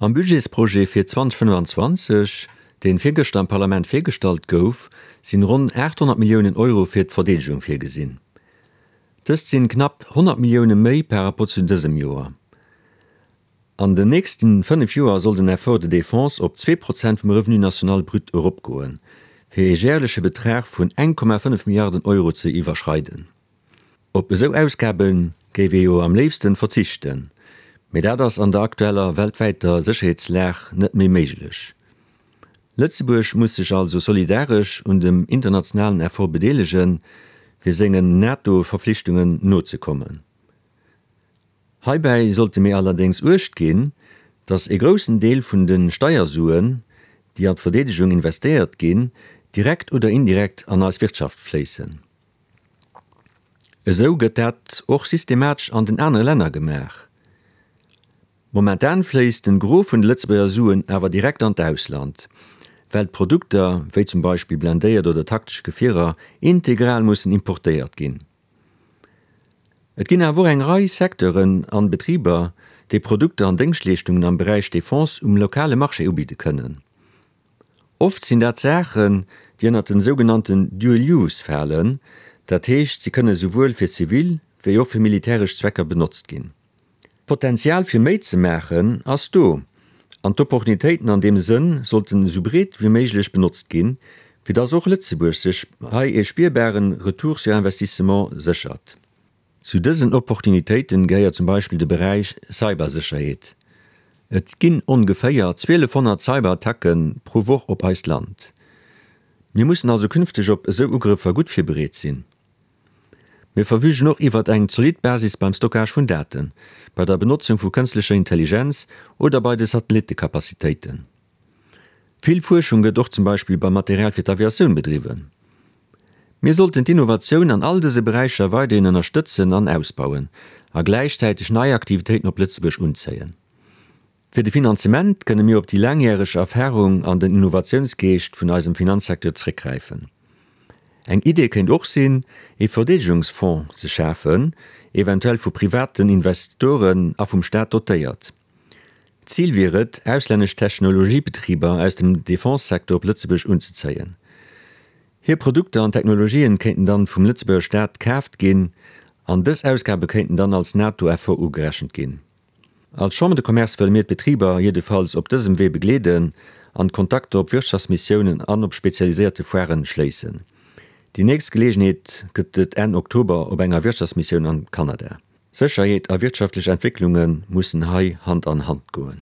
Am Budgetsprojet fir 2025, deen virgëschter am Parlament virgestallt gouf, sinn ronn 800 Milliounen Euro fir d'Verdeedegung virgesinn. Dëst sinn knapp 100 Millioune méi par rapport zu dësem Joer. An den nächsten 5 Joer soll den Effort de défense op 2% vum Revenu national brut eropgoen, fir ee järleche Betrag vun 1,5 Milliarden Euro ze iwwerschreiden. Op esou Ausgabe géif ee jo am léifsten verzichten, mee dat ass an der aktueller weltwäiter Sécherheetslag net méi méiglech. Lëtzebuerg muss sech also solidaresch un dem internationalen Effort bedeelegen, fir sengen NATO-Verflichtungen nozekommen. Heibäi sollte mir allerdéngs Uecht ginn, datt e groussen Deel vun de Steiersuen, déi an d'Verdeedegung investéiert ginn, direkt oder indirekt an eis Wirtschaft fléissen. Esou gëtt dat och systematesch an den anere Länner gemaach. Momentan fléisst den Gros vun de Lëtzebuerger Suen awer direkt an d'Ausland, well d'Produkter, wéi zum Beispill blendéiert oder taktesch Gefierer, integral mussen importéiert ginn. Et ginn awer och eng Rei Secteuren an Betriber, déi Produkter an Déngschtleeschtungen am Beräich Defense um lokale Marché ubidde kënnen. Oft sinn dat Saachen, déi ënnert den sougenannten Dual Use falen, dat heescht si kënne souwuel fir zivil wéi och fir militäresch Zwecker benotzt ginn. D'Potenzial fir méi ze maachen ass do, an d'Opportunitéiten an deem Sënn sollten esou breet wéi méiglech benotzt ginn, fir dass och Lëtzebuerg sech hei ee spierbaren Retour sur investissement séchert. Zu dësen Opportunitéiten gehéiert zum Beispill de Beräich Cybersécherheet. Et ginn ongeféier 1200 Cyberattacke pro Woch op eist Land. Mir mussen also künfteg op esou Ugrëffer gutt virbereet sinn. Mir verfügen och iwwert eng zolidd Basis beim Stockage vun Daten, bei der Benotzung vu kënstlecher Intelligenz oder bei de Satellittecapacitéiten. Vill Fuerschung gëtt och zum Beispill beim Material fir d'Aviatioun bedriwwen. Mir sollten d'Innovatioun an all dëse Beräicher weiderhin ënnerstëtzen an ausbauen a gläichzäiteg nei Aktivitéiten op Lëtzebuerg unzéien. Fir de Finanzement kënne mir op déi laangjäreg Erfarung an den Innovatiounsgeescht vun eisem Finanzsecteur zréckgräifen. Eng Idee kéint och sinn, ee Verdeedegungsfonds ze schafen, eventuell vu privaten Investoren a vum Staat dotéiert. Zil wier et, auslännesch Technologiebetriber aus dem Defense-Secteur op Lëtzebuerg unzezéien. Hir Produkter an Technologien kéinten dann vum Lëtzebuerger Staat kaaft ginn an dës Ausgabe kéinten dann als NATO-Effort ugerechent ginn. Als Chambre de Commerce wëlle mir d'Betriber jiddefalls op dësem Wee begleeden an d'Kontakter op Wirtschaftsmissiounen an op spezialiséierte Foiren schléissen. Déi nächst Geleegenheet gëtt et Enn Oktober op enger Wirtschaftsmissioun an Kanada. Sécherheet a wirtschaftlech Entwécklunge mussen hei Hand an Hand goen.